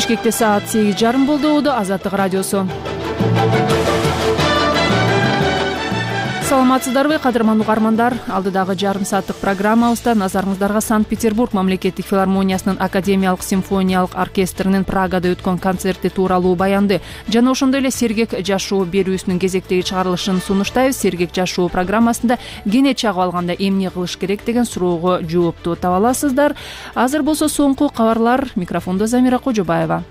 Бишкекте саат 8:30 болду. Азаттык радиосу. Саламатсыздарбы, кадырман угармандар? Алдыдагы жарым сааттык программабызда назарыңыздарга Санкт-Петербург мамлекеттик филармониясынын академиялык симфониялык оркестринин Прагада өткөн концерти тууралуу баянды жана ошондой эле Сергек жашоо берүүсүнүн кезектеги чыгарылышын сунуштайбыз. Сергек жашоо программасында кене чагып алганда эмне кылыш керек деген суроого жоопту таба аласыздар. Азыр болсо соңку кабарлар. Микрофондо Замира Кожобаева.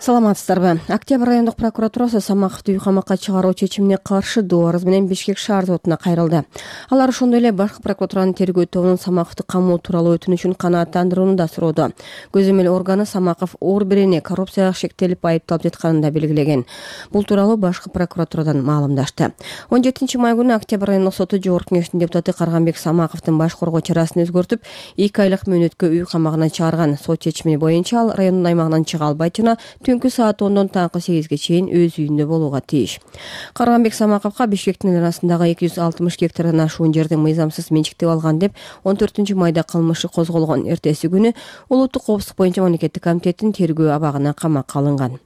Саламатсыздарбы? Октябрь райондук прокуратурасы Самаковду үй камакка чыгаруу чечимине каршы доо арыз менен Бишкек шаар сотуна кайрылды. Алар ошондой эле башкы прокуратуранын тергөө тобунун Самаковду камоо тууралуу өтүнүчүн канааттандырууну да сурооду. Көзөмөл органы Самаков оор берене коррупцияга шектелип айыпталып жатканын да белгилеген. Бул тууралуу башкы прокуратурадан маалымдашты. 17 май күнү Октябрь райондук соту жогорку кеңештин депутаты Карганбек Самаковдун баш коргоо чарасын өзгөртүп, 2 айлык мөөнөткө үй камагына чыгарган. Сот чечими боюнча ал райондун аймагынан чыга албайт жана түнкү саат 10-дон таңкы 8-ге чейин өз үйүндө болууга тийиш. Карганбек Самаковго Бишкектин арасындагы 260 гектардан ашуун жерди мыйзамсыз менчиктеп алган деп 14 майда кылмышы козголгон. Эртеси күнү улуттук коопсуздук боюнча мамлекеттик комитеттин тергөө абагына камакка алынган.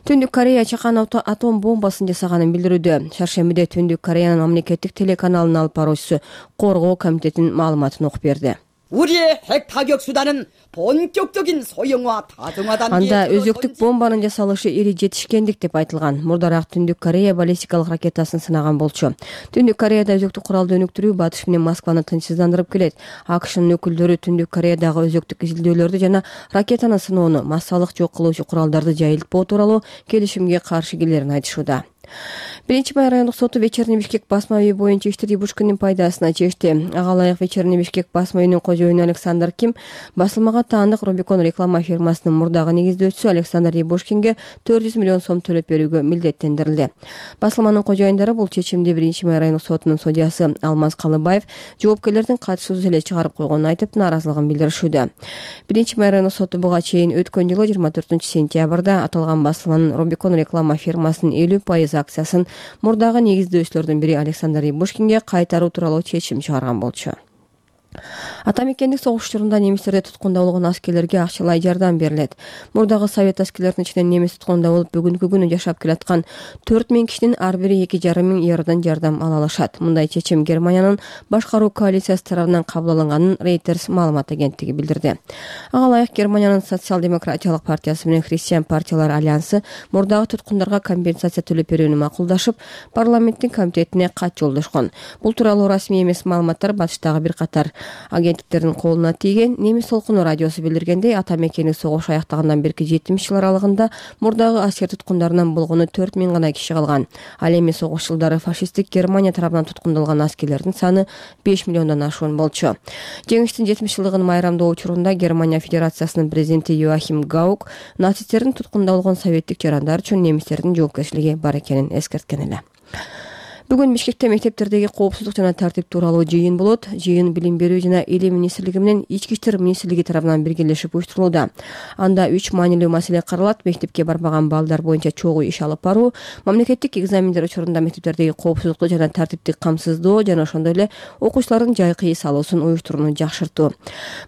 Түндүк Корея чакан атом бомбасын жасаганын билдирүүдө. Шаршембиде Түндүк Кореянын мамлекеттик телеканалынын алып баруучусу коргоо комитетинин маалыматын окуп берди. 우리의 핵 타격 수단은 본격적인 소형화 다중화 단계에 Анда өзөктүк бомбанын жасалышы ири жетишкендик деп айтылган. Мурдараак Түндүк Корея баллистикалык ракетасын сынаган болчу. Түндүк Кореяда өзөктүк куралды өнүктүрүү батыш менен Москваны тынчсыздандырып келет. АКШнын өкүлдөрү Түндүк Кореядагы өзөктүк изилдөөлөрдү жана ракетаны сыноону, массалык жок кылуучу куралдарды жайылтпоо тууралуу келишимге каршы келерин айтышууда. 1 май райондук соту Вечерний Бишкек басма үйү боюнча ишти Рябушкиндин пайдасына чечти. Ага ылайык Вечерний Бишкек басма үйүнүн кожоюну Александр Ким басылмага таандык Рубикон реклама фирмасынын мурдагы негиздөөчүсү Александр Рябушкинге 400 миллион сом төлөп берүүгө милдеттендирилди. Басылманын кожоюндары бул чечимди 1 май райондук сотунун судьясы Алмаз Калыбаев жоопкерлердин катышуусуз эле чыгарып койгонун айтып, нааразылыгын билдиришүүдө. 1 май райондук соту буга чейин өткөн жылы 24 сентябрда аталган басылманын Рубикон реклама фирмасынын 50% акциясын мурдагы негиздөөчүлөрдүн бири Александр Рябушкинге кайтаруу тууралуу чечим чыгарган болчу. Атамекендик согуш учурунда немистерде туткунда болгон аскерлерге акчалай жардам берилет. Мурдагы совет аскерлеринин ичинен немис туткунда болуп бүгүнкү күнү жашап келаткан 4000 кишинин ар бири 2,5 миң евродон жардам ала алышат. Мындай чечим Германиянын башкаруу коалициясы тарабынан кабыл алынганын Reuters маалымат агенттиги билдирди. Ага ылайык Германиянын социал-демократиялык партиясы менен христиан партиялар альянсы мурдагы туткундарга компенсация төлөп берүүнү макулдашып, парламенттин комитетине кат жолдошкон. Бул тууралуу расмий эмес маалыматтар батыштагы бир катар агенттиктердин колуна тийген. Немис толкуну радиосу билдиргендей, атамекендик согуш аяктагандан берки 70 жыл аралыгында мурдагы аскер туткундарынан болгону 4000 гана киши калган. Ал эми согуш жылдары фашисттик Германия тарабынан туткундалган аскерлердин саны 5 миллиондон ашуун болчу. Жеңиштин 70 жылдыгын майрамдоо учурунда Германия Федерациясынын президенти Йоахим Гаук нацисттердин туткунда болгон советтик жарандар үчүн немистердин жоопкерчилиги бар экенин эскерткен эле. Бүгүн Бишкекте мектептердеги коопсуздук жана тартип тууралуу жыйын болот. Жыйын Билим берүү жана Илим министрлиги менен Ички иштер министрлиги тарабынан биргелешип уюштурулууда. Анда 3 маанилүү маселе каралат: мектепке барбаган балдар боюнча чогуу иш алып баруу, мамлекеттик экзамендер учурунда мектептердеги коопсуздукту жана тартипти камсыздоо жана ошондой эле окуучулардын жайкы эс алуусун уюштурууну жакшыртуу.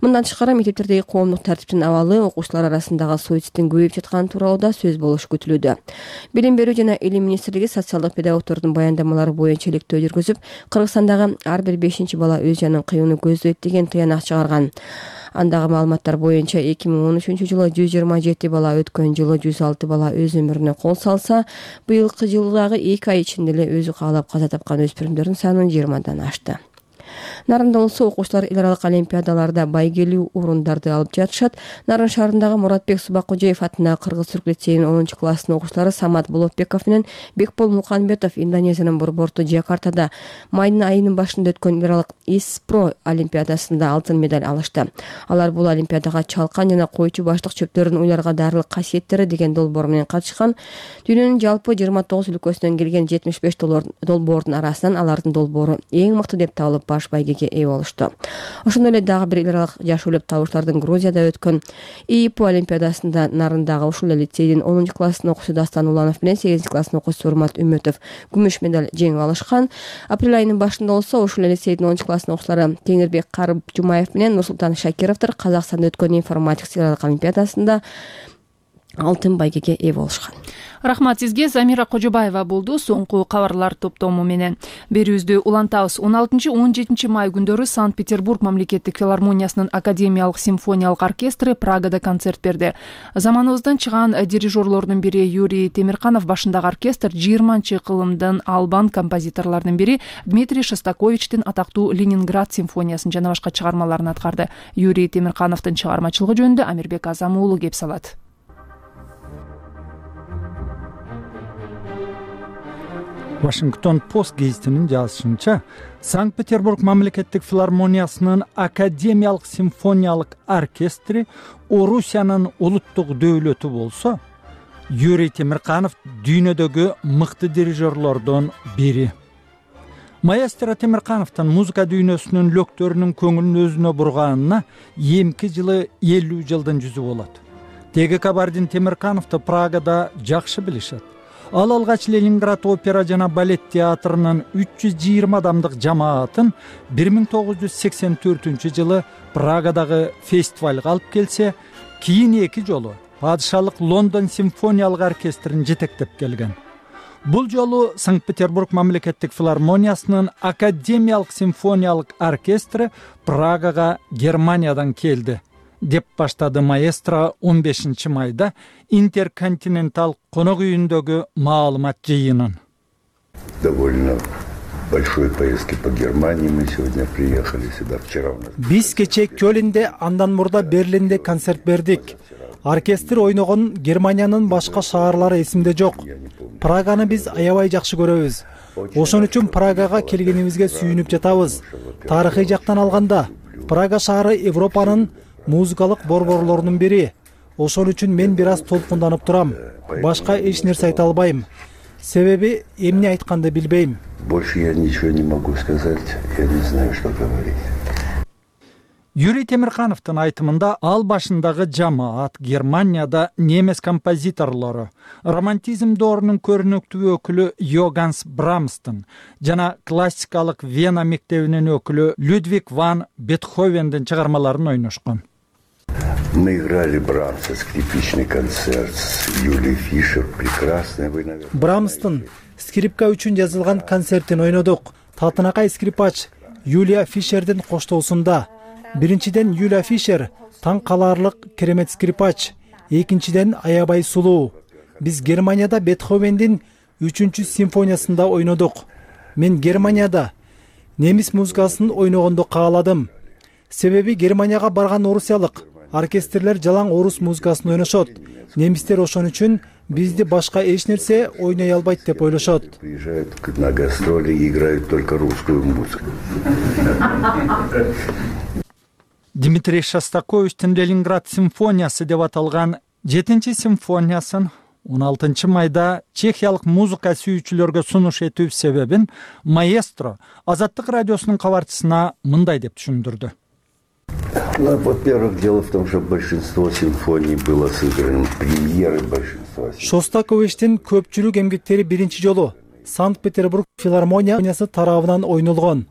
Мындан тышкары мектептердеги коомдук тартиптин абалы, окуучулар арасындагы суицидтин көбөйүп жатканы тууралуу да сөз болушу күтүлүүдө. Билим берүү жана Илим министрлиги социалдык педагогдордун баяндамалары боюнча иликтөө жүргүзүп, Кыргызстандагы ар бир 5 бала өз жанын кыюуну көздөйт деген тыянак чыгарган. Андагы маалыматтар боюнча 2013-жылы 127 бала, өткөн жылы 106 бала өз өмүрүнө кол салса, быйылкы жылдагы 2 ай ичинде эле өзү каалап каза тапкан өспүрүмдөрдүн саны 20дан ашты. Нарында болсо окуучулар эл аралык олимпиадаларда байгелүү орундарды алып жатышат. Нарын шаарындагы Муратбек Субакожоев атындагы Кыргыз-Түрк лицейинин 10-класстын окуучулары Самат Болотбеков менен Бекбол Муканбетов Индонезиянын борборту Джакартада майдын айынын башында өткөн эл аралык ИСПРО олимпиадасында алтын медаль алышты. Алар бул олимпиадага чалкан жана койчу баштык чөптөрдүн уйларга дарылык касиеттери деген долбоор менен катышкан. Дүйнөнүн жалпы 29 өлкөсүнөн келген 75 долбоордун арасынан алардын долбоору эң мыкты деп табылып баш байгеге ээ болушту. Ошондой эле дагы бир эл аралык жашоолуп табыштардын Грузияда өткөн ИИП олимпиадасында Нарындагы ушул эле лицейдин 10-класстын окуучусу Дастан Уланов менен 8-класстын окуучусу Урмат Үмөтов күмүш медаль жеңип алышкан. Апрель айынын башында болсо ушул эле лицейдин 10-класстын окуучулары Теңирбек Карып Жумаев менен Нурсултан Шакировдор Казакстанда өткөн информатика сыйлык олимпиадасында алтын байгеге ээ болушкан. Рахмат сизге. Замира Кожобаева болду соңку кабарлар топтому менен. Берүүбүздү улантабыз. 16-17 май күндөрү Санкт-Петербург мамлекеттик филармониясынын академиялык симфониялык оркестри Прагада концерт берди. Заманыбыздан чыган дирижерлордун бири Юрий Темирканов башындагы оркестр 20-кылымдын албан композиторлордун бири Дмитрий Шостаковичтин атактуу Ленинград симфониясын жана башка чыгармаларын аткарды. Юрий Темиркановдун чыгармачылыгы жөнүндө Амирбек Азам уулу кеп салат. Вашингтон Пост гезитинин жазышынча, Санкт-Петербург мамлекеттик филармониясынын академиялык симфониялык оркестри Орусиянын улуттук дөөлөтү болсо, Юрий Темирканов дүйнөдөгү мыкты дирижерлордон бири. Маэстро Темиркановдун музыка дүйнөсүнүн лөктөрүнүн көңүлүн өзүнө бурганына эмки жылы 50 жылдын жүзү болот. Теги Кабардин Темиркановду Прагада жакшы билишет. Ал алгач Ленинград опера жана балет театрынын 320 адамдык жамаатын 1984 жылы Прагадагы фестивалга алып келсе, кийин 2 жолу падышалык Лондон симфониялык оркестрин жетектеп келген. Бул жолу Санкт-Петербург мамлекеттик филармониясынын академиялык симфониялык оркестри Прагага Германиядан келди, деп баштады маэстро 15 майда Интерконтинентал конок үйүндөгү маалымат жыйынын. Довольно большой поездки по Германии мы сегодня приехали сюда вчера. Биз кече Кёлинде, андан мурда Берлинде концерт бердик. Оркестр ойногон Германиянын башка шаарлары эсимде жок. Праганы биз аябай жакшы көрөбүз. Ошон үчүн Прагага келгенибизге сүйүнүп жатабыз. Тарыхый жактан алганда, Прага шаары Европанын музыкалык борборлорунун бири. Ошон үчүн мен бир аз толкунданып турам. Башка эч нерсе айта албайм. Себеби эмне айтканды билбейм. Больше я ничего не могу сказать. Я не знаю, что говорить. Юрий Темиркановдун айтымында ал башындагы жамаат Германияда немес композиторлору, романтизм доорунун көрүнүктүү өкүлү Йоганс Брамстын жана классикалык Вена мектебинин өкүлү Людвиг ван Бетховендин чыгармаларын ойношкон. Мы играли Брамса, скрипичный концерт с Юлией Фишер, прекрасная, вы, наверное... Брамстын скрипка үчүн жазылган концертин ойнодук. Татынакай скрипач Юлия Фишердин коштоосунда. Биринчиден Юлия Фишер таң калаарлык керемет скрипач, экинчиден аябай сулуу. Биз Германияда Бетховендин 3-симфониясында ойнодук. Мен Германияда немис музыкасын ойногонду кааладым. Себеби Германияга барган орусиялык оркестрлер жалаң орус музыкасын ойношот. Немистер ошон үчүн бизди башка эч нерсе ойной албайт деп ойлошот. Приезжают на гастроли и играют только русскую музыку. Дмитрий Шостаковичтин Ленинград симфониясы деп аталган 7-симфониясын 16 майда чехиялык музыка сүйүүчүлөргө сунуш этүү себебин маэстро Азаттык радиосунун кабарчысына мындай деп түшүндүрдү. Во-первых, дело в том, что большинство симфоний было сыграно, премьеры большинства. Шостаковичтин көпчүлүк эмгектери биринчи жолу Санкт-Петербург филармониясы тарабынан ойнолгон.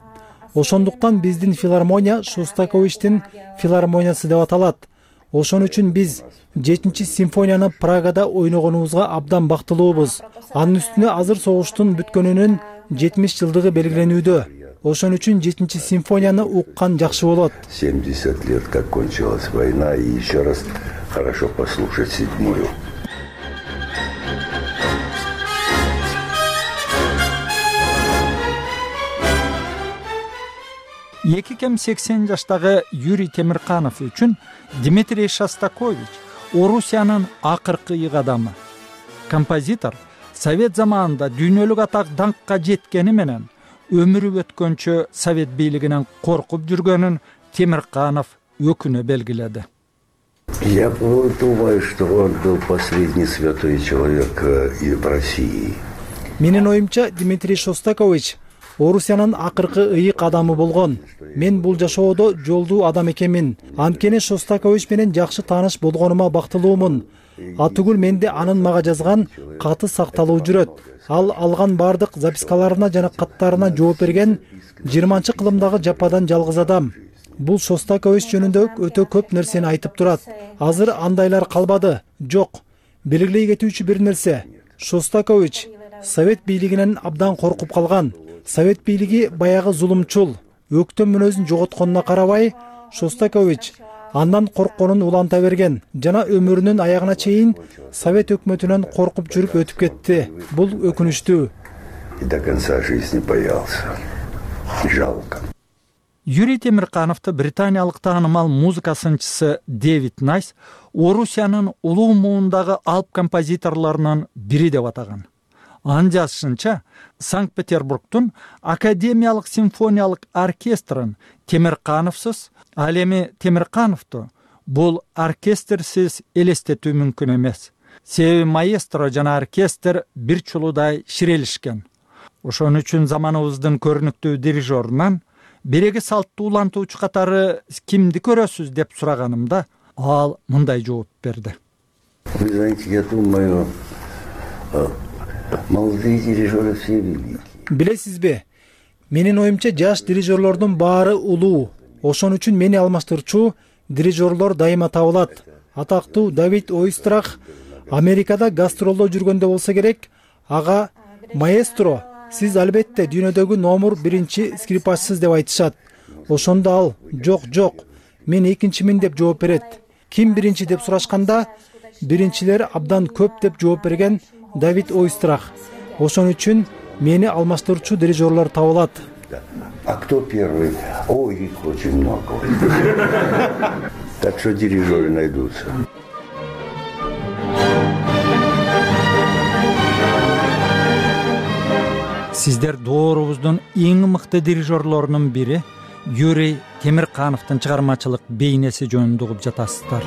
Ошондуктан биздин филармония Шостаковичтин филармониясы деп аталат. Ошон үчүн биз 7-симфонияны Прагада ойногонубузга абдан бактылуубуз. Анын үстүнө азыр согуштун бүткөнүнүн 70 жылдыгы белгиленүүдө. Ошон үчүн 7-симфонияны уккан жакшы болот. 70 лет как кончилась война, и еще раз хорошо послушать 7-ю. Эки кем 80 жаштагы Юрий Темирканов үчүн Дмитрий Шостакович Орусиянын акыркы ыйык адамы. Композитор Совет заманында дүйнөлүк атак даңкка жеткени менен өмүрү өткөнчө Совет бийлигинен коркуп жүргөнүн Темирканов өкүнө белгиледи. Я думаю, что он был последний святой человек в России. Менин оюмча, Дмитрий Шостакович Орусиянын акыркы ыйык адамы болгон. Мен бул жашоодо жолдуу адам экенмин. Анткени Шостакович менен жакшы тааныш болгонума бактылуумун. Атүгүл менде анын мага жазган каты сакталуу жүрөт. Ал алган бардык запискаларына жана каттарына жооп берген 20-кылымдагы жападан жалгыз адам. Бул Шостакович жөнүндө өтө көп нерсени айтып турат. Азыр андайлар калбады. Жок. Белгилей кетүүчү бир нерсе. Шостакович Совет бийлигинен абдан коркуп калган. Совет бийлиги баягы зулумчул, өктөм мүнөзүн жоготконуна карабай, Шостакович андан коркконун уланта берген жана өмүрүнүн аягына чейин Совет өкмөтүнөн коркуп жүрүп өтүп кетти. Бул өкүнүчтүү. И до конца жизни боялся. Жалко. Юрий Темиркановду британиялык таанымал музыка сынчысы Дэвид Найс Орусиянын улуу муундагы алп композиторлорунун бири деп атаган. Анын жазышынча, Санкт-Петербургдун Академиялык симфониялык оркестрин Темиркановсуз, ал эми Темиркановду бул оркестрсиз элестетүү мүмкүн эмес. Себеби маэстро жана оркестр бир чулуудай ширелишкен. Ошон үчүн заманыбыздын көрүнүктүү дирижерунан береги салттуу улантуучу катары кимди көрөсүз деп сураганымда, ал мындай жооп берди. Вы знаете, я думаю, молодые дирижеры все великие. Билесизби? Менин оюмча жаш дирижерлордун баары улуу. Ошон үчүн мени алмаштырчу дирижерлор дайыма табылат. Атактуу Давид Ойстрах Америкада гастролдо жүргөндө болсо керек, ага маэстро, сиз албетте дүйнөдөгү номер 1 скрипачсыз деп айтышат. Ошондо ал жок, мен экинчимин деп жооп берет. Ким биринчи деп сурашканда, биринчилер абдан көп деп жооп берген Давид Ойстрах. Ошон үчүн мени алмаштырчу дирижерлор табылат. А кто первый? Ой, их очень много. Так что дирижеры найдутся. Сиздер доорубуздун эң мыкты дирижерлорунун бири Юрий Темиркановдун чыгармачылык бейнеси жөнүндө угуп жатасыздар.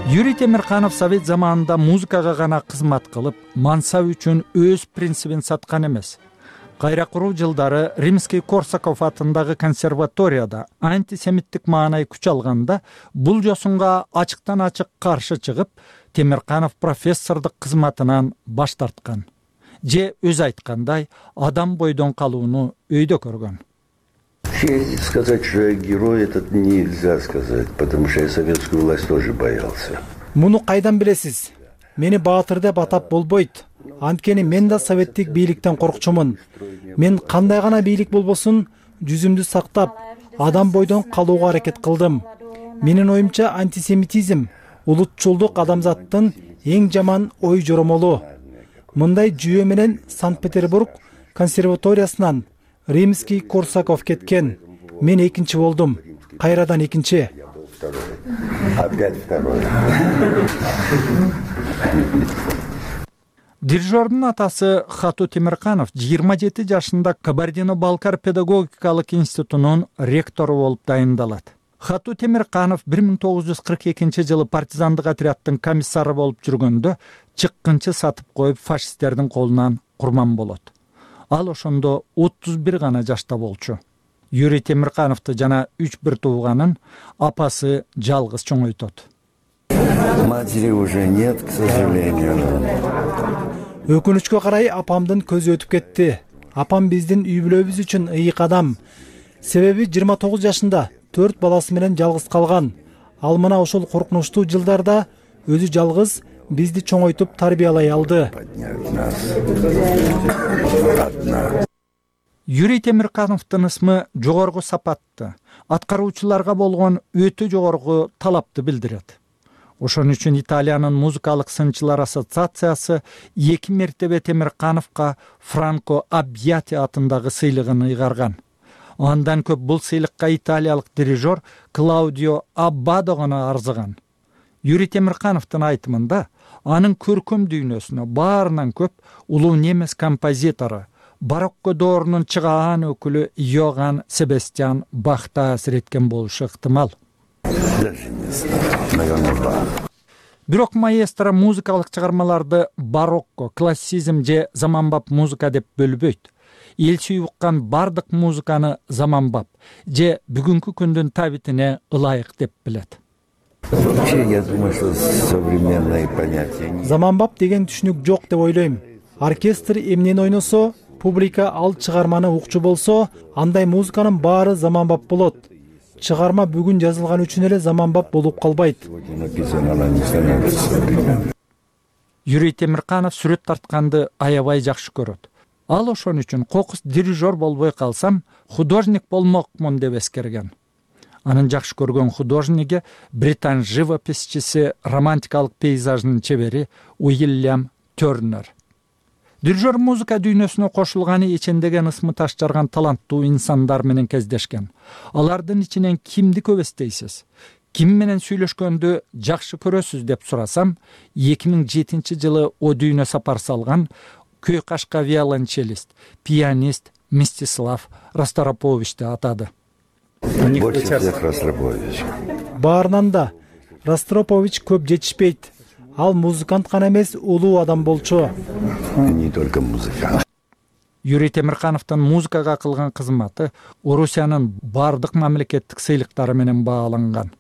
Юрий Темирканов Совет заманында музыкага гана кызмат кылып, мансап үчүн өз принцибин саткан эмес. Кайра куруу жылдары Римский Корсаков атындагы консерваторияда антисемиттик маанай күч алганда, бул жосунга ачыктан ачык каршы чыгып, Темирканов профессордук кызматынан баш тарткан. Же өзү айткандай, адам бойдон калууну өйдө көргөн. Сказать, что я герой, это нельзя сказать, потому что я советскую власть тоже боялся. Муну кайдан билесиз? Мени баатыр деп атап болбойт. Анткени мен да советтик бийликтен коркчумун. Мен кандай гана бийлик болбосун, жүзүмдү сактап, адам бойдон калууга аракет кылдым. Менин оюмча антисемитизм, улутчулдук адамзаттын эң жаман ой жоромолу. Мындай жүйө менен Санкт-Петербург консерваториясынан Римский Корсаков кеткен. Мен экинчи болдум. Кайрадан экинчи. Опять второй. Дирижердун атасы Хату Темирканов 27 жашында Кабардино-Балкар педагогикалык институтунун ректору болуп дайындалат. Хату Темирканов 1942 жылы партизандык отряддын комиссары болуп жүргөндө чыккынчы сатып коюп фашисттердин колунан курман болот. Ал ошондо 31 гана жашта болчу. Юрий Темиркановду жана 3 тууганын апасы жалгыз чоңойтот. Матери уже нет, к сожалению. Өкүнүчкө карай апамдын көзү өтүп кетти. Апам биздин үй бүлөбүз үчүн ыйык адам. Себеби 29 жашында 4 баласы менен жалгыз калган. Ал мына ошол коркунучтуу жылдарда өзү жалгыз бизди чоңойтуп тарбиялай алды. Юрий Темиркановдун ысмы жогорку сапатты, аткаруучуларга болгон өтө жогорку талапты билдирет. Ошон үчүн Италиянын музыкалык сынчылар ассоциациясы 2 мертебе Темиркановго Франко Аббиати атындагы сыйлыгын ыйгарган. Андан көп бул сыйлыкка италиялык дирижер Клаудио Аббадо гана арзыган. Юрий Темиркановдун айтымында, анын көркөм дүйнөсүнө баарынан көп улуу немес композитору, барокко доорунун чыгаан өкүлү Йоган Себастьян Бах таасир эткен болушу ыктымал. Даже не знаю. Наверное, Бах. Бирок маэстро музыкалык чыгармаларды барокко, классизм же заманбап музыка деп бөлбөйт. Эл сүйүп уккан бардык музыканы заманбап же бүгүнкү күндүн табитине ылайык деп билет. Вообще, я думаю, что современные понятия... Заманбап деген түшүнүк жок деп ойлойм. Оркестр эмнени ойносо, публика ал чыгарманы укчу болсо, андай музыканын баары заманбап болот. Чыгарма бүгүн жазылган үчүн эле заманбап болуп калбайт. Юрий Темирканов сүрөт тартканды аябай жакшы көрөт. Ал ошон үчүн кокус дирижер болбой калсам, художник болмокмун деп эскерген. Анын жакшы көргөн художниги британ живописчиси, романтикалык пейзаждын чебери Уильям Тернер. Дирижер музыка дүйнөсүнө кошулганы ичиндеген ысмы таш жарган таланттуу инсандар менен кездешкен. Алардын ичинен кимди көп эстейсиз? Ким менен сүйлөшкөндү жакшы көрөсүз деп сурасам, 2007-жылы о дүйнө сапар салган көй кашка виолончелист, пианист Мстислав Ростроповичти атады. Больше всех Ростропович. Баарынан да Ростропович көп жетишпейт. Ал музыкант гана эмес, улуу адам болчу. Не только музыкант. Юрий Темиркановдун музыкага кылган кызматы Орусиянын бардык мамлекеттик сыйлыктары менен бааланган.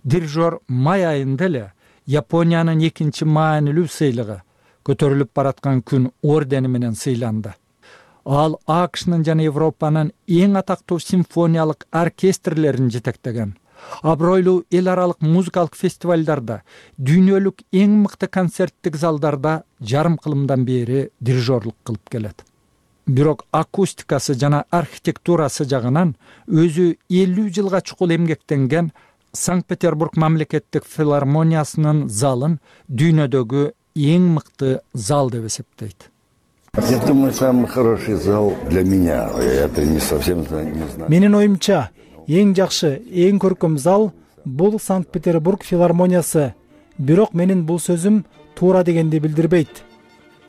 Дирижер май айында эле Япониянын 2-чи маанилүү сыйлыгы көтөрүлүп бараткан күн ордени менен сыйланды. Ал АКШнын жана Европанын эң атактуу симфониялык оркестрлерин жетектеген. Абройлуу эл аралык музыкалык фестивалдарда, дүйнөлүк эң мыкты концерттик залдарда жарым кылымдан бери дирижерлук кылып келет. Бирок акустикасы жана архитектурасы жагынан өзү 50 жылга чукул эмгектенген Санкт-Петербург мамлекеттик филармониясынын залын дүйнөдөгү эң мыкты зал деп эсептейт. Я думаю, самый хороший зал для меня. Это не совсем не знаю. Менин оюмча, эң жакшы, эң көркөм зал бул Санкт-Петербург филармониясы. Бирок менин бул сөзүм туура дегенди билдирбейт.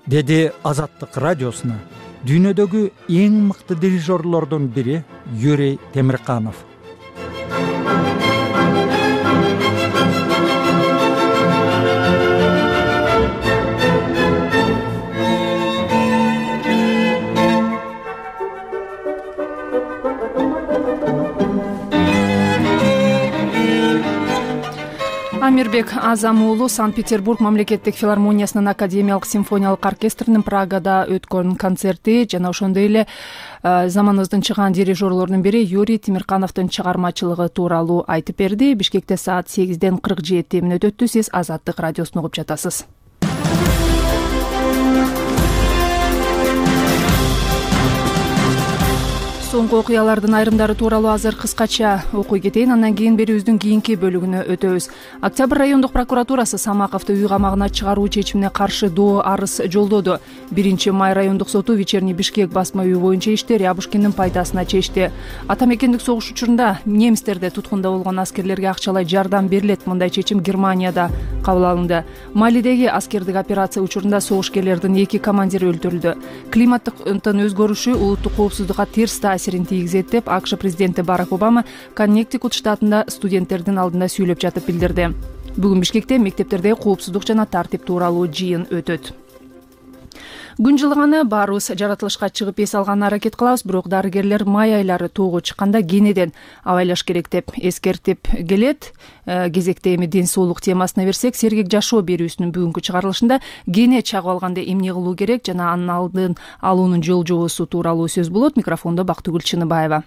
Деди Азаттык радиосуна дүйнөдөгү эң мыкты дирижерлордун бири Юрий Темирканов. Амирбек Азам уулу Санкт-Петербург мамлекеттик филармониясынын академиялык симфониялык оркестринин Прагада өткөн концерти жана ошондой эле заманыбыздын чыган дирижерлорунун бири Юрий Темиркановдун чыгармачылыгы тууралуу айтып берди. Бишкекте саат 8:47 өтөттү. Сиз Азаттык радиосун угуп жатасыз. Соңку окуялардын айрымдары тууралуу азыр кыскача окуй кетейин, андан кийин берүүбүздүн кийинки бөлүгүнө өтөбүз. Октябрь райондук прокуратурасы Самаковду үй камагына чыгаруу чечимине каршы доо арыз жолдоду. 1-май райондук соту Вечерний Бишкек басма үйү боюнча ишти Рябушкиндин пайдасына чечти. Ата мекендик согуш учурунда немистерде туткунда болгон аскерлерге акчалай жардам берилет. Мындай чечим Германияда кабыл алынды. Малидеги аскердик операция учурунда согушкерлердин 2 командири өлтүрүлдү. Климаттын өзгөрүшү улуттук коопсуздукка терс таасирин тийгизет деп АКШ президенти Барак Обама Коннектикут штатында студенттердин алдында сүйлөп жатып билдирди. Бүгүн Бишкекте мектептердеги коопсуздук жана тартип тууралуу жыйын өтөт. Күн жылыганы баарыбыз жаратылышка чыгып эс алганына аракет кылабыз, бирок дарыгерлер май айлары тоого чыкканда кенеден абайлаш керек деп эскертип келет. Кезекте эми ден соолук темасына берсек, сергек жашоо берүүсүнүн бүгүнкү чыгарылышында кене чагып алганда эмне кылуу керек жана анын алдын алуунун жол жобосу тууралуу сөз болот. Микрофондо Бактыгүл Чыныбаева.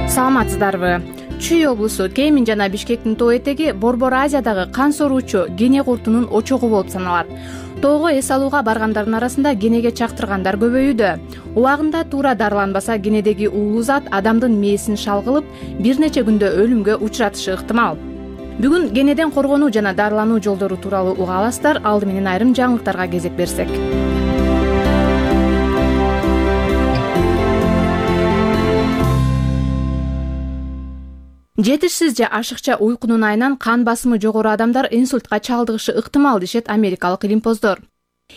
Саламатсыздарбы? Чүй облусу Кемин жана Бишкектин тоо этеги Борбор Азиядагы кан соруучу кене куртунун очогу болуп саналат. Тоого эс алууга баргандардын арасында кенеге чактыргандар көбөйүүдө. Убагында туура дарыланбаса кенедеги уулуу зат адамдын мээсин шалгылып, бир нече күндө өлүмгө учуратышы ыктымал. Бүгүн кенеден коргонуу жана дарылануу жолдору тууралуу уга аласыздар. Алды менен айрым жаңылыктарга кезек берсек. Жетишсиз же ашыкча уйкунун айынан кан басымы жогору адамдар инсультка чалдыгышы ыктымал дешет америкалык илимпоздор.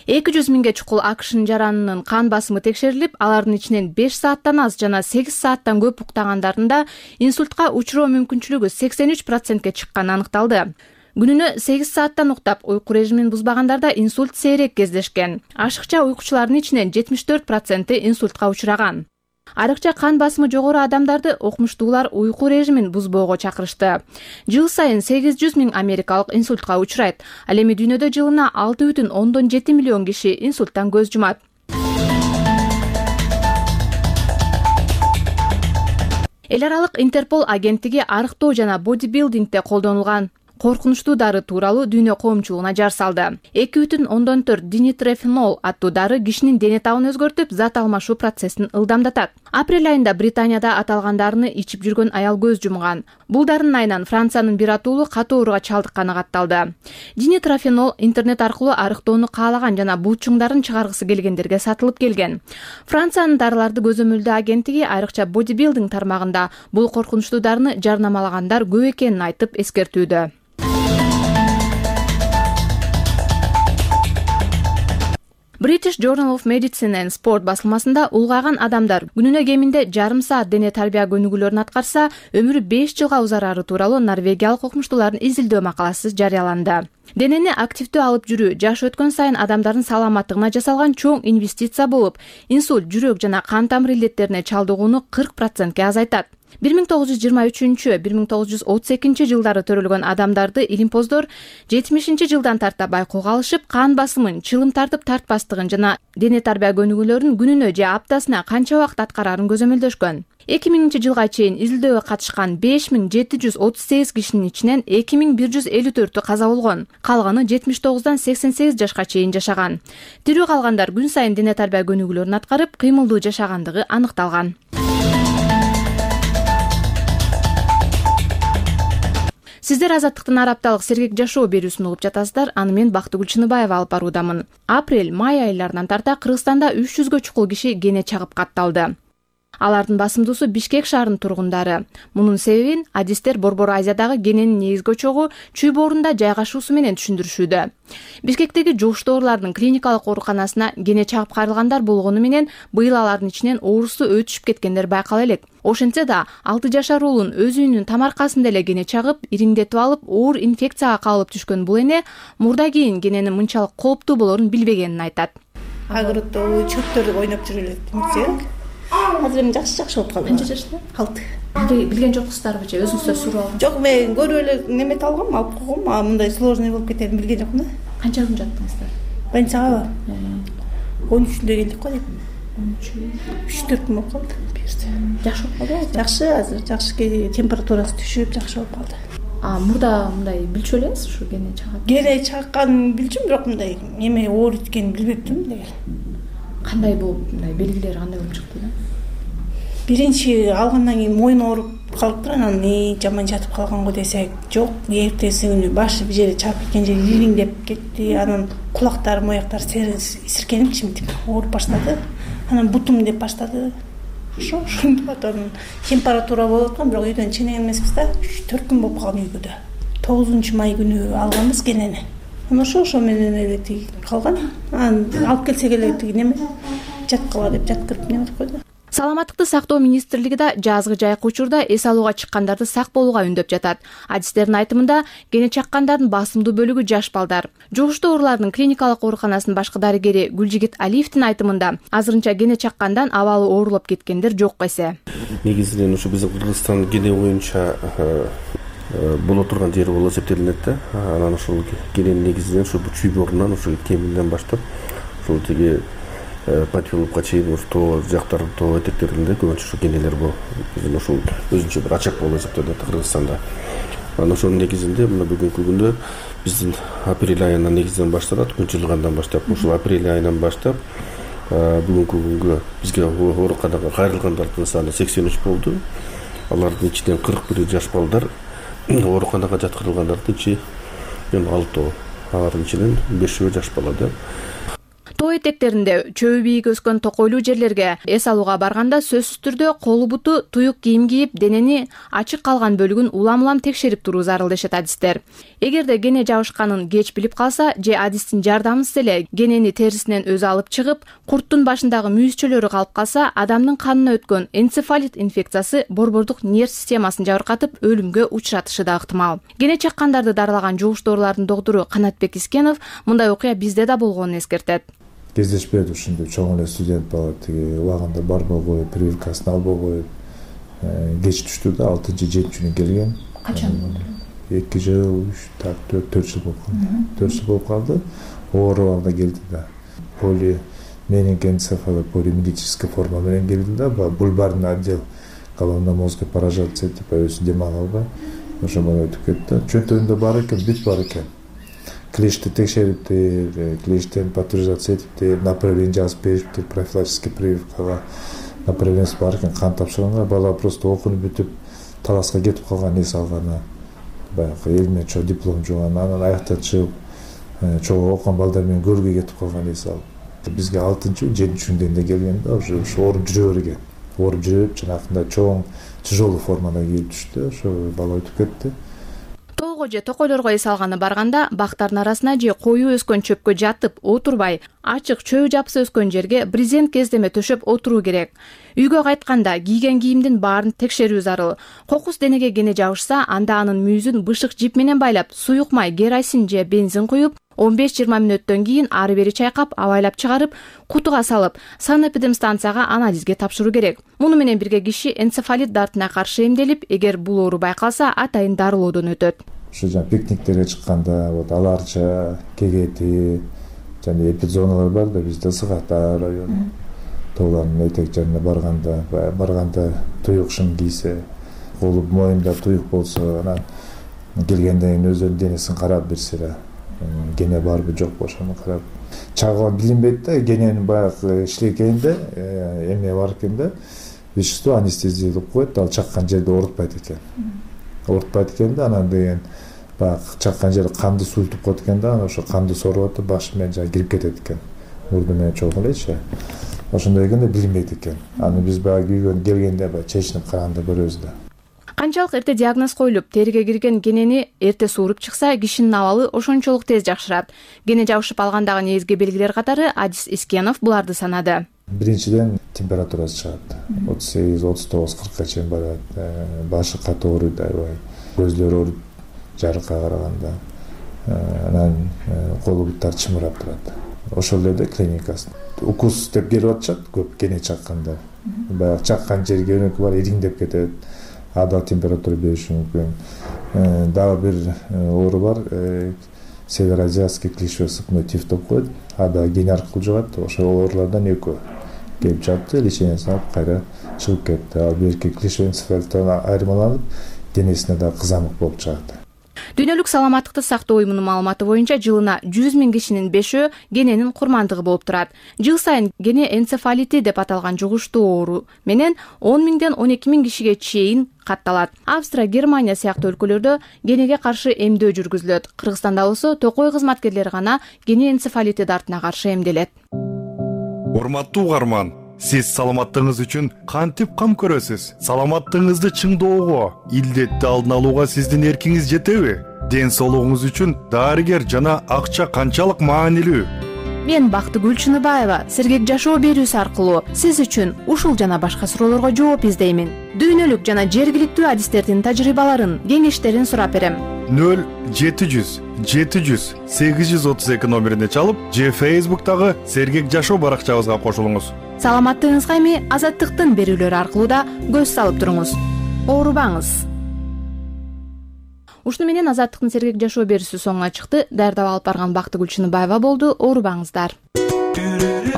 200 миңге чукул АКШнын жаранынын кан басымы текшерилип, алардын ичинен 5 сааттан аз жана 8 сааттан көп уктагандарында инсультка учуроо мүмкүнчүлүгү 83%ке чыкканы аныкталды. Күнүнө 8 сааттан уктап, уйку режимин бузбагандарда инсульт сейрек кездешкен. Ашыкча уйкучулардын ичинен 74% инсультка учураган. Айрыкча кан басымы жогору адамдарды окумуштуулар уйку режимин бузбоого чакырышты. Жыл сайын 800 миң америкалык инсультка учурайт. Ал эми дүйнөдө жылына 6,7 миллион киши инсульттан көз жумат. Эл аралык Интерпол агенттиги арыктоо жана бодибилдингде колдонулган коркунучтуу дары тууралуу дүйнө коомчулугуна жар салды. 2,4 динитрофенол аттуу дары кишинин дене табын өзгөртүп, зат алмашуу процессин ылдамдатат. Апрель айында Британияда аталган дарыны ичип жүргөн аял көз жумган. Бул дарынын айынан Франциянын бир атуулу катуу ооруга чалдыкканы катталды. Динитрофенол интернет аркылуу арыктоону каалаган жана булчуңдарын чыгаргысы келгендерге сатылып келген. Франциянын дарыларды көзөмөлдөө агенттиги айрыкча бодибилдинг тармагында бул коркунучтуу дарыны жарнамалагандар көп экенин айтып эскертүүдө. British Journal of Medicine and Sport басылмасында улгайган адамдар күнүнө кеминде жарым саат дене тарбия көнүгүүлөрүн аткарса, өмүрү 5 жылга узарары тууралуу норвегиялык окумуштуулардын изилдөө макаласы жарыяланды. Денени активдүү алып жүрүү жаш өткөн сайын адамдардын саламаттыгына жасалган чоң инвестиция болуп, инсульт, жүрөк жана кан тамыр илдеттерине чалдыгууну 40%ке азайтат. 1923-1932 жылдары төрөлгөн адамдарды илимпоздор 70 жылдан тарта байкоого алышып, кан басымын, чылым тартып тартпастыгын жана дене тарбия көнүгүүлөрүн күнүнө же аптасына канча убакыт аткарарын көзөмөлдөшкөн. 2000 жылга чейин изилдөөгө катышкан 5738 кишинин ичинен 2154-ü каза болгон. Калганы 79-дан 88 жашка чейин жашаган. Тирүү калгандар күн сайын дене тарбия көнүгүүлөрүн аткарып, кыймылдуу жашагандыгы аныкталган. Сиздер Азаттыктын арапталык сергек жашоо берүүсүн угуп жатасыздар. Аны мен Бактыгүл Чыныбаева алып баруудамын. Апрель-май айларынан тарта Кыргызстанда 300гө чукул киши кене чагып катталды. Алардын басымдуусу Бишкек шаарынын тургундары. Мунун себебин адистер Борбор Азиядагы кененин негизги очогу чүй боорунда жайгашуусу менен түшүндүрүшүүдө. Бишкектеги жугуштуу оорулардын клиникалык ооруканасына кене чагып кайрылгандар болгону менен быйыл алардын ичинен оорусу өтүшүп кеткендер байкала элек. Ошентсе да 6 жашар уулун өз үйүнүн тамаркасында эле кене чагып, ириңдетип алып, оор инфекцияга кабылып түшкөн бул эне мурда кийин кененин мынчалык кооптуу болорун билбегенин айтат. Агырыттуу чөптөр ойноп жүрүп элек. Азыр эми жакшы болуп калды. Канча жашта? 6. Билген жоксуздарбычы, өзүңүздөр сурап алган? Жок, мен көрүп эле немет алгам, алып койгом, а мындай сложный болуп кетерин билген жокмун да. Канча күн жаттыңыздар? Больницага 13-үндө келдик го деп. 3-4 күн болуп калды. Жакшы болуп калдыбы? Жакшы, азыр жакшы, температурасы түшүп, жакшы болуп калды. Мурда мындай билчү элеңиз ушу кене чагат? Кене чакканын билчүм, бирок мындай эме оор экенин билбептим деген. Кандай болуп, мындай белгилери кандай болуп чыкты да? Биринчи алгандан кийин мойун ооруп калыптыр, анан жаман жатып калганго десек, жок, эртеси күнү башы бир жери чаап кеткен жери ириңдеп кетти, анан кулактар, мояктар сиркенип чимтип ооруп баштады. Анан бутум деп баштады. Ошондо анан температура болуп аткан, бирок үйдөн чыгын эмеспиз да. 3-4 күн болуп калган үйгө да. 9-май күнү алганбыз кенени. Анан ошо менен эле тиги калган. Анан алып келсек эле тиги неме жаткыла деп жаткырып неме деп койду. Саламаттыкты сактоо министрлиги да жазгы жайкы учурда эс алууга чыккандарды сак болууга үндөп жатат. Адистердин айтымында, кене чаккандардын басымдуу бөлүгү жаш балдар. Жугуштуу оорулардын клиникалык ооруканасынын башкы дарыгери Гүлжигит Алиевдин айтымында, азырынча кене чаккандан абалы оорулуп кеткендер жок эсе. Негизинен ушу биздин Кыргызстан кене боюнча боло турган жери болуп эсептелинет да. Анан ошол кененин негизинен ушу чүй боорунан ушу кеминден баштап ушул тиги Патилупка чейин тоо жактар, тоо этектеринде көбүнчө ушу кенелер бул. Биздин ушул өзүнчө бир ачак болуп эсептелет Кыргызстанда. Анан ошонун негизинде мына бүгүнкү күндө биздин апрель айынан негизинен башталат, күн жылгандан баштап, ушул апрель айынан баштап бүгүнкү күнгө бизге ооруканага кайрылгандардын саны 83 болду. Алардын ичинен 41 жаш балдар, ооруканага жаткырылгандардын ичи 6, алардын ичинен 5 жаш бала да. Тоо этектеринде чөбү бийик өскөн токойлуу жерлерге эс алууга барганда сөзсүз түрдө колу буту туюк кийим кийип денени ачык калган бөлүгүн улам теекшерип туруу зарыл дешет адистер. Эгерде кене жабышканын кеч билип калса же адистин жардамысыз эле кенени терисинен өзү алып чыгып, курттун башындагы мүйүзчөлөрү калып калса, адамдын канына өткөн энцефалит инфекциясы борбордук нерв системасын жабыркатып, өлүмгө учуратышы да ыктымал. Кене чаккандарды дарылаган жугуш доорулардын доктору Канатбек Искенов мындай окуя бизде да болгонун эскертет. Кездешпейт ушундай чоң эле студент бала тиги убагында барбой, прививкасын албой, кеч түштү да 6-7 келген. Качан болду? 2 жыл, 4 жыл болуп калды. 4 жыл болуп калды. Оорубагында келди да. Полименингоэнцефалит полимилитическая форма менен келди да, бульбарный отдел головно-мозговой поражаться этип өзү дем ала албай, ошо менен өтүп кетти. Чөнтөгүндө бар экен, бүт бар экен. Клешти текшериптир, клештен патуризация этиптир, направление жазып бериптир, профилактический прививкага направлениеси бар экен, кан тапшырганга. Бала просто окуну бүтүп таласка кетип калган, эс алганы, баягы эл менен чоң диплом жуган, анан аяктан чыгып чоң окуган балдар менен көргөй кетип калган, эс алып. Бизге 6-7 күндө келген да, ошо ооруп жүрө берген. Ооруп жүрүп, жанакындай чоң тяжелый формада келип түштү, ошо бала өтүп кетти. Тоого же токойлорго эс алганы барганда бактардын арасына же коюу өскөн чөпкө жатып отурбай, ачык чөбү жапсы өскөн жерге брезент кездеме төшөп отуруу керек. Үйгө кайтканда кийген кийимдин баарын текшерүү зарыл. Кокус денеге кене жабышса, анда анын мүйүзүн бышык жип менен байлап, суюк май, керосин же бензин куюп, 15-20 мүнөттөн кийин ары бери чайкап, абайлап чыгарып, кутуга салып, санэпидемстанцияга анализге тапшыруу керек. Муну менен бирге киши энцефалит дартына каршы эмделип, эгер бул оору байкалса, атайын дарылоодон өтөт. Ошо жана пикниктерге чыкканда, аларча, кегети жана эпидзоналар бар да, бизде Сыгата району. Тоолардын этек жарына барганда туюк шым кийсе, колу моюнда туюк болсо, анан келгенден кийин өзүнүн денесин карап берсе, кене барбы жокпу ошону карап. Чагыган билинбейт да, кененин баягы иштегенде эме бар экен да, вещество анестезиялык коет, ал чаккан жерде оорутпайт экен. Оорутпайт экен да, анан деген баягы чаккан жери канды суйтуп коет экен да, анан ошо канды соруп атып баш менен жана кирип кетет экен. Мурду менен чогуу элечи. Ошондой экенде билинбейт экен. Аны биз баягы үйгө келгенде баягы чечинип караганда көрөбүз да. Канчалык эрте диагноз коюлуп, териге кирген кенени эрте сууруп чыкса, кишинин абалы ошончолук тез жакшырат. Кене жабышып алгандагы негизги белгилер катары адис Искенов буларды санады. Биринчиден температурасы чыгат. 38-39-40ка чейин барат. Башы катуу ооруйт аябай. Көзлөрү ооруйт жарыкка караганда. Анан колу буттар чымырап турат. Ошол эле клиникасы. Укус деп келип атышат көп кене чакканда. Баягы чаккан жерге өнөкү бар, ириңдеп кетет. Ада температура бериши мүмкүн. Дагы бир оору бар, североазиатский клещевой сыпной тиф деп коет. Ада кене аркылуу жугат. Ошол оорулардан экөө келип жатты, лечениясын алып кайра чыгып кетти. Ал берки клещевой энцефалиттан айырмаланып, денесине да кызамык болуп чыгат. Дүйнөлүк саламаттыкты сактоо уюмунун маалыматы боюнча жылына 100 000 кишинин 5-өө кененин курмандыгы болуп турат. Жыл сайын кене энцефалити деп аталган жугуштуу оору менен 10 000-ден 12 000 кишиге чейин катталат. Австрия, Германия сыяктуу өлкөлөрдө кенеге каршы эмдөө жүргүзүлөт. Кыргызстанда болсо токой кызматкерлери гана кене энцефалити дартына каршы эмделет. Урматтуу угарман, сиз саламаттыгыңыз үчүн кантип кам көрөсүз? Саламаттыгыңызды чыңдоого, илдетти алдын алууга сиздин эркиңиз жетеби? Ден соолугуңуз үчүн дарыгер жана акча канчалык маанилүү? Мен Бактыгүл Чыныбаева сергек жашоо берүүсү аркылуу сиз үчүн ушул жана башка суроолорго жооп издеймин. Дүйнөлүк жана жергиликтүү адистердин тажрыйбаларын, кеңештерин сурап берем. 0700 700 832 номерине чалып, же Facebook'тагы сергек жашоо баракчабызга кошулуңуз. Саламаттыгыңызга эми Азаттыктын берүүлөрү аркылуу да көз салып туруңуз. Оорубаңыз. Ушуну менен Азаттыктын сергек жашоо берүүсү соңуна чыкты. Даярдап алып барган Бактыгүл Чыныбаева болду. Оорубаңыздар.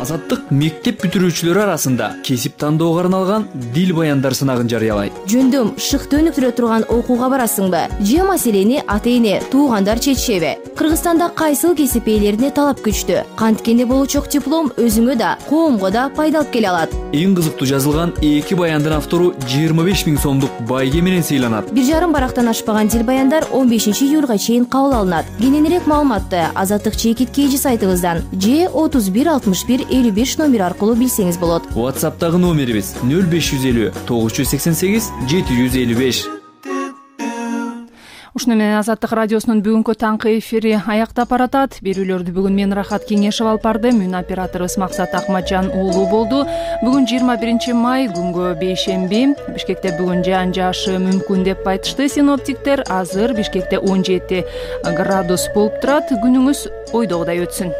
Азаттык мектеп бүтүрүүчүлөрү арасында кесип тандоого арналган дил баяндар сынагын жарыялайт. Жөндөм шыкты өнүктүрө турган окууга барасыңбы? Же маселени ата-эне, туугандар чечишеби? Кыргызстанда кайсыл кесип ээлерине талап күчтүү? Канткенде болучок диплом өзүңө да, коомго да пайда алып келе алат. Эң кызыктуу жазылган 2 баяндын автору 25 000 сомдук байге менен сыйланат. 1,5 барактан ашпаган дил баяндар 15 июлга чейин кабыл алынат. Кененирээк маалыматты Азаттык чекит KG сайтыбыздан же 31 61 55 номер аркылуу билсеңиз болот. WhatsApp'тагы номерибиз 0550 988 755. Ушуну менен Азаттык радиосунун бүгүнкү таңкы эфири аяктап баратат. Берүүлөрдү бүгүн мен Рахат Кеңешев алып бардым. Мун операторубуз Максат Акматжан уулу болду. Бүгүн 21 май күнгө бейшемби. Бишкекте бүгүн жаан жаашы мүмкүн деп айтышты синоптиктер. Азыр Бишкекте 17 градус болуп турат. Күнүңүз ойдогудай өтсүн.